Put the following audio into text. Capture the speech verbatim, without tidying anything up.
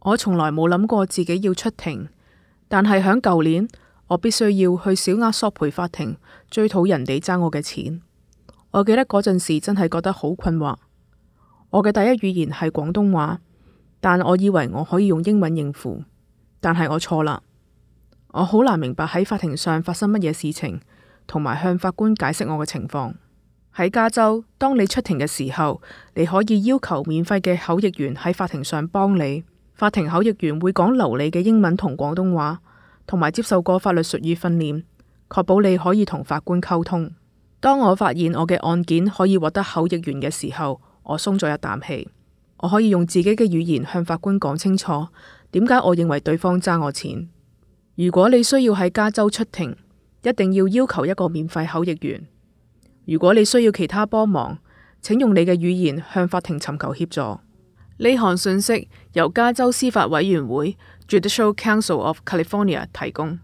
我從來冇諗過自己要出庭，但係響舊年，我必須要去小額索賠法庭追討人哋爭我嘅錢。我記得嗰陣時真係覺得好困惑。我嘅第一語言係廣東話，但我以為我可以用英文應付，但係我錯啦。我好難明白喺法庭上發生乜嘢事情，同埋向法官解釋我嘅情況。喺加州，當你出庭嘅時候，你可以要求免費嘅口譯員喺法庭上幫你。法庭口譯員會講流利嘅英文同廣東話，同埋接受過法律術語訓練，確保你可以同法官溝通。當我發現我嘅案件可以獲得口譯員嘅時候，我鬆咗一啖氣。我可以用自己嘅語言向法官講清楚點解我認為對方爭我錢。如果你需要喺加州出庭，一定要要求一個免費口譯員。如果你需要其他幫忙，請用你嘅語言向法庭尋求協助。呢項信息由加州司法委員會 Judicial Council of California 提供。